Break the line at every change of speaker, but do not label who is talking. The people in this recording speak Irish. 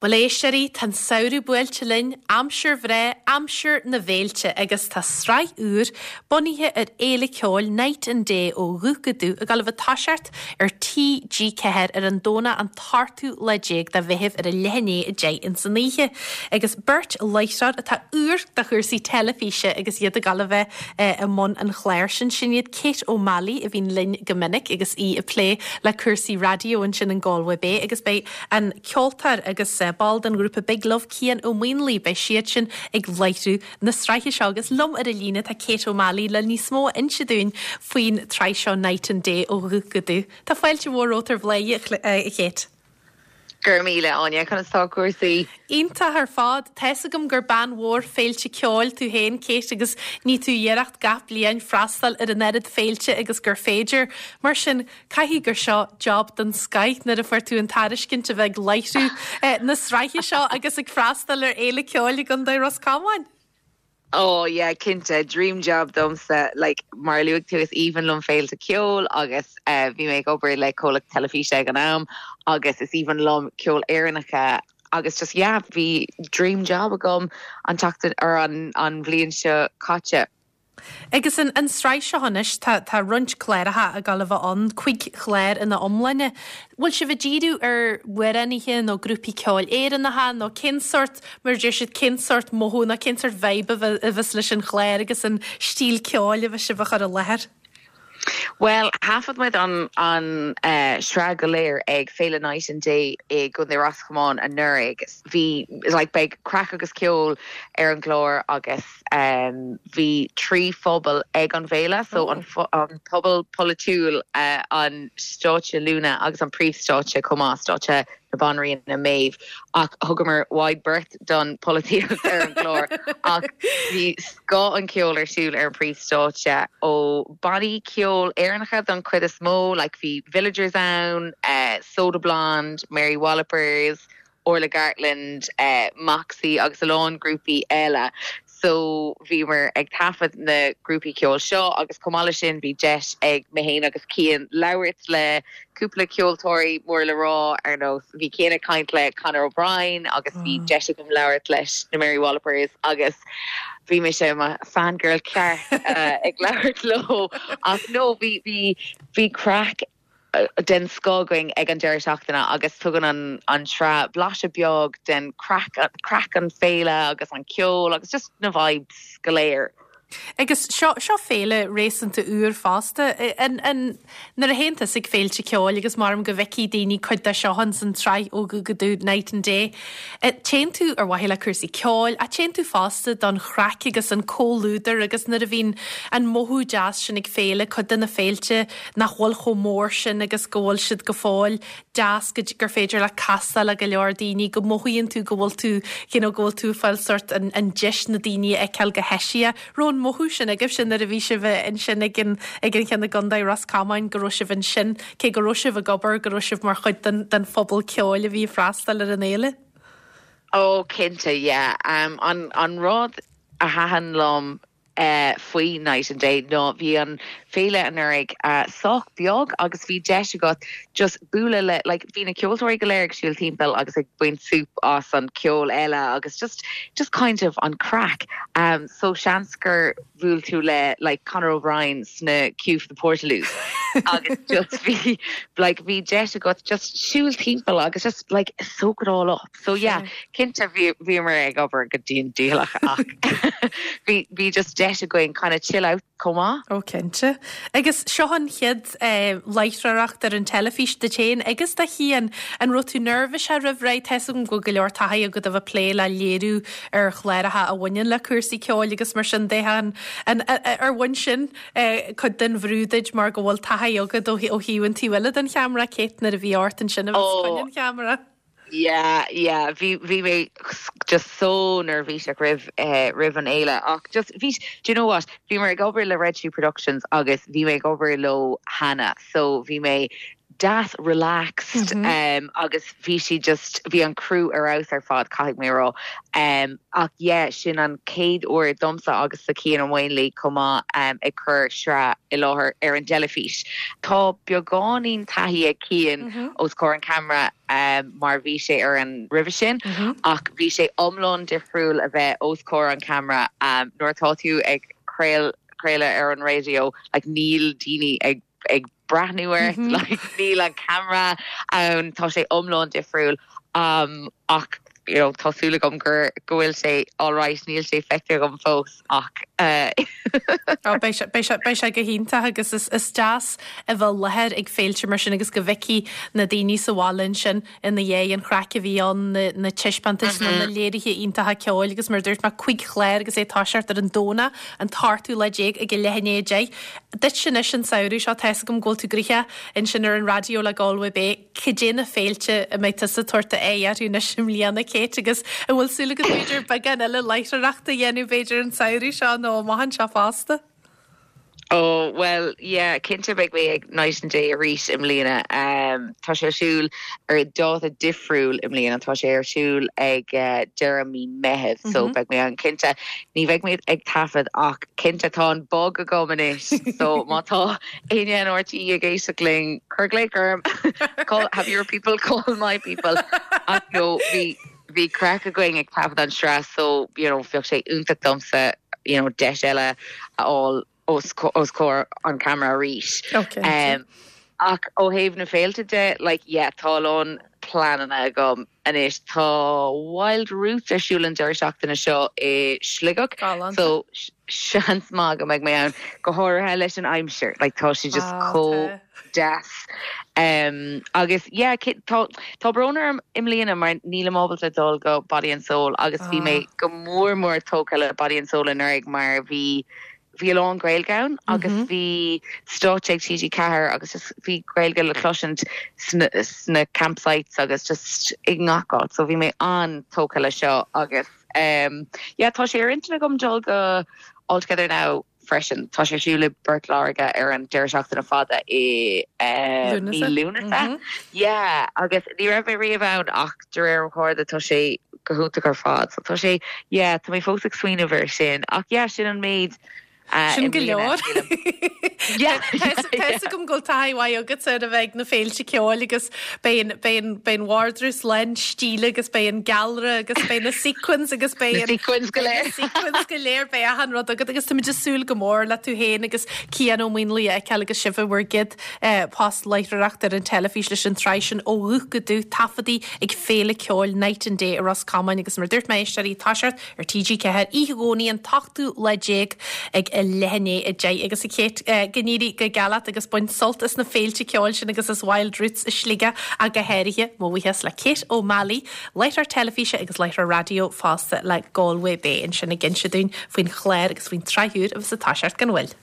Bhuel, a éisteoirí, tá an samhradh buailte linn, aimsir bhreá, aimsir na bhféilte, agus tá sraith úr, bunaithe ar fhéile ceoil Night and Day ó Dhubh go Dubh, ag dul a bheith ag toiseacht ar TG4 ar an Domhnach an t-ochtú lá déag de Mheitheamh ar a leath i ndiaidh 10 ins an oíche. Agus beirt láithreoir atá úr do chúrsaí teilifíse agus iad ag dul a bheith i mbun an chláir sin, sin iad Kate O'Malley a bhíonn linn go minic agus í ag plé le cúrsaí raidió ansin in Galway Bay agus beidh an ceoltóir agus ball den ghrúpa Big Love, Cian Ó Maonlaí. Beidh siadsin ag láithriú na sraithe seo agus liom ar an líne tá Kate O'Malley le níos mó a inse dúinn faoin tsraith seo Night and Day ó Dhubh go Dubh. Tá fáilte mhór romhat ar Bhláthnaid, a Kate.
Go raibh míle, Áine. Conas tá cúrsaí?
Iontach ar fad. Tá fhios agam gur bean mhór féilte ceoil tú féin, Kate, agus ní tú iarracht gach bliain freastal ar an oiread féilte agus gur féidir. Mar sin, Caithfidh gur seo job den scoith nuair a fuair tú an tairiscint a bheith ag láithriú na sraithe seo agus ag freastal ar fhéile ceoil i gContae Ros Comáin.
Oh yeah, cinnte, dream job domsa. Like, mar a luaigh tú, is aoibhinn liom féilte ceoil agus bhí mé ag obair le comhlacht teilifíse ag an am agus is aoibhinn liom ceol Éireannacha agus just yeah, bhí dream job agam an tseachtain or an an bhliain seo caite.
Agus an an sraith seo anois, tá tá roinnt cláracha ag dul a bheith ann, cuig chlár ina iomláine. Bhfuil sibh ag díriú ar amhránaithe nó grúpaí ceoil Éireannacha nó cén sórt, mar a deir siad, cén sórt mothú nó cén sórt vibe a bheas leis an chlár agus an stíl ceoil a bheas sibh a chur i láthair?
Bhuel, thaifead muid an an sraith go léir ag Féile Night and Day i gContae Ros Comáin anuraidh. Bhí, like, beidh craic agus ceol ar an gclár agus bhí 3 phuball ag an bhféile, so an puball polaitiúil, an stáitse Luna agus an príomhstáitse chomh maith, stáitse na Banríona Maeve, ach thugamar wide berth don pholaitíocht ar an gclár ach bhí scoth an cheoil ar siúl ar an príomhstáitse ó bannaí ceoil Éireannacha don chuid is mó, like bhí Villagers ann, Soda Blonde, Mary Wallopers, Orla Gartland, Moxie agus a lán grúpaí eile. So bhíomar ag taifead na grúpaí ceoil seo agus chomh maith leis sin bhí deis ag mé féin agus Cian labhairt le cúpla ceoltóirí mór le rá ar nós bhí Cian ag caint le Conor O'Brien agus bhí deis agam labhairt leis na Mary Wallopers agus bhí mise i mo fangirl ceart ag labhairt leo ach no bhí bhí bhí craic den scoth againn ag an deireadh seachtaine agus tugann an an tsraith blaiseadh beag den craic, craic an féile agus an ceol agus just na vibes go léir.
Agus seo, seo féile réasúnta úr fosta. An, an, nuair a théann tusa ag féilte ceoil agus maram go bhfeicfidh daoine cuid de seo ins an tsraith ó Dhubh go Dubh Night and Day, téann tú ar mhaithe le cúrsaí ceoil ach téann tú fosta don chraic agus an comhluadar agus nuair a bhíonn an mothú deas sin ag féile, cuid de na féilte, nach bhfuil chomh mór sin agus go bhfuil siad go fóill deas go gur féidir leat castáil le go leor daoine, go mothaíonn tú go bhfuil tú you know go bhfuil tú ag fáil sort an an deis na daoine a fheiceáil go heisiach. Raibh an mothú sin agaibhse nuair a bhí sibh ansin ag an ag an cheann i gContae Ros Comáin go raibh sibh ansin cé go raibh sibh ag obair go raibh sibh mar chuid den den phobal ceoil a bhí ag freastal ar an fhéile?
Oh cinnte yeah. Um, an an rud a thaitin liom faoi Night and Day ná bhí an féile anuraidh sách beag agus bhí deis agat just bualadh le like bhí na ceoltóirí go léir ag siúl timpeall agus ag baint súp as an ceol eile agus just just kind of an craic. Um, so seans gur bhuail tú le like Conor O'Brien sna queue for the Portaloos agus just bhí like bhí deis agat just siúl timpeall agus just like soak it all up. So yeah, cinnte bhíomar ag obair go dian dícheallach ach bhí bhí just deis againn kind of chill out chomh maith.
Ó cinnte. Agus seo an chéad láithreoireacht ar an teilifís duit féin agus do Chian. An raibh tú neirbhíseach roimh ré? Tá 'fhios agam go bhfuil go leor taithí agat a bheith ag plé le léiriú ar chláracha a bhaineann le cúrsaí ceoil agus mar sin de. An ar bhain sin cuid den bhrú duit mar go bhfuil taithí agat ó thaobh an taobh eile den cheamara, Kate, nuair a bhí ort ansin a bheith os coinne an cheamara?
Yeah, yeah, bhí, bhí mé just so neirbhíseach roimh, eh, roimh an fhéile ach just bhí, do you know what, bhíomar ag obair le Red Shoe Productions agus bhí mé ag obair leo cheana so bhí mé. deas relaxed agus bhí sí just, bhí an crew ar fheabhas ar fad caithfidh mé a rá. Ach yeah, sin an chéad uair domsa agus do Cian Ó Maonlaí chomh maith ag cur sraith i láthair ar an dteilifís. Tá beagáinín taithí ag Cian os comhair an ceamara mar bhí sé ar an roimhe sin ach bhí sé iomlán difriúil a bheith os comhair an ceamara nuair atá tú ag craoladh ar an raidió like níl daoine ag ag breathnú ort like níl an ceamara ann tá sé iomlán difriúil ach you know tá súil agam gur go bhfuil sé alright níl sé feicthe agam fós ach eh.
Ó beidh sé beidh sé beidh sé go hiontach agus is is deas a bheith i láthair ag féilte mar sin agus go bhfeicfidh na daoine sa bhaile ansin ina dhiaidh an chraic a bhí ann, na taispeántais nó na léirithe iontacha ceoil agus mar a dúirt mé, 5 chlár agus é ag toiseacht ar an Domhnach, an t-ochtú lá déag ag a leath i ndiaidh 10. Duitse anois an samhradh seo, tá's agam go bhfuil tú gnoitheach ansin ar an raidió le Galway Bay, cad é na féilte a mbeidh tusa ag tabhairt d'aghaidh orthu anois i mbliana, Kate, agus an bhfuil súil agat b'fhéidir beagán eile láithreoireachta a dhéanamh b'fhéidir an samhradh seo nó amach anseo fosta?
Oh bhuel yeah cinnte beidh mé ag Night and Day arís i mbliana. Tá sé ar siúl ar dáta difriúil i mbliana, tá sé ar siúl ag deireadh mí Meitheamh so beidh mé ann cinnte. Ní bheidh mé ag taifead ach cinnte tá an bug agam anois so má tá éinne in RTÉ ag éisteacht linn cuir glaoch orm call have your people call my people ach no bhí Bhí craic againn ag taifead an sraith so you know bheadh sé iontach domsa you know deis eile a fháil os os comhair an camera arís. Um, ach ó thaobh na féilte de like yeah tá a lán pleananna agam anois. Tá Wild Roots ar siúl an deireadh seachtaine seo i Sligeach so seans maith go mbeidh mé ann go háirithe leis an aimsir like tá sé just ah, chomh deas. Um, agus yeah, tá, tá brón orm i mbliana mar nílim ábalta dul go Body and Soul agus bhí mé ah. go mór mór tógtha le Body and Soul anuraidh mar bhí bhí a lán Gaeilge ann agus mm -hmm. bhí stáitse ag TG4 agus just bhí Gaeilge le cloisint sna, sna campsites agus just i ngach áit so bhí mé an-tógtha le seo agus um, yeah, tá sé ar intinn agam dul go All Together Now freisin. Tá sé ar siúl i bPort Láirge ar an deireadh seachtaine fada i mí Lúnasa. Yeah, agus ní raibh mé riamh ann ach de réir mo chairde tá sé go hiontach ar fad. So tá sé, yeah, tá mé fós ag smaoineamh air sin. Ach yeah, sin an méid
Sin go leor. Tá fhios agam go bhfuil taithí mhaith agat ar a bheith ag na féilte ceoil agus beidh an beidh an vardrús lán stíle agus beidh an gealra agus beidh na sequins agus beidh
an sequins go léir.
sequins go léir beidh achan rud agat agus táimid ag súil go mór le tú féin agus Cian Ó Maonlaí a fheiceáil agus sibh i bhur gcéad post láithreoireachta ar an teilifís leis an tsraith sin ó dhúch go dúch taifeadtaí ag Féile Ceoil Night and Day i Ros Comáin agus mar a dúirt mé éisteoirí toiseacht ar TG4 oíche Dhomhnaigh an t-ochtú lá déag ag a leath i ndiaidh 10 agus a Kate go n-éirí go geal leat agus bain sult as na féilte ceoil sin agus as Wild Roots i Sligeach ach go háirithe. Mo bhuíochas le Kate O'Malley, láithreoir teilifíse agus láithreoir raidió fosta le Galway Bay ansin ag inse dúinn faoin chlár agus faoin tsraith úr a bheas ag toiseacht gan mhoill.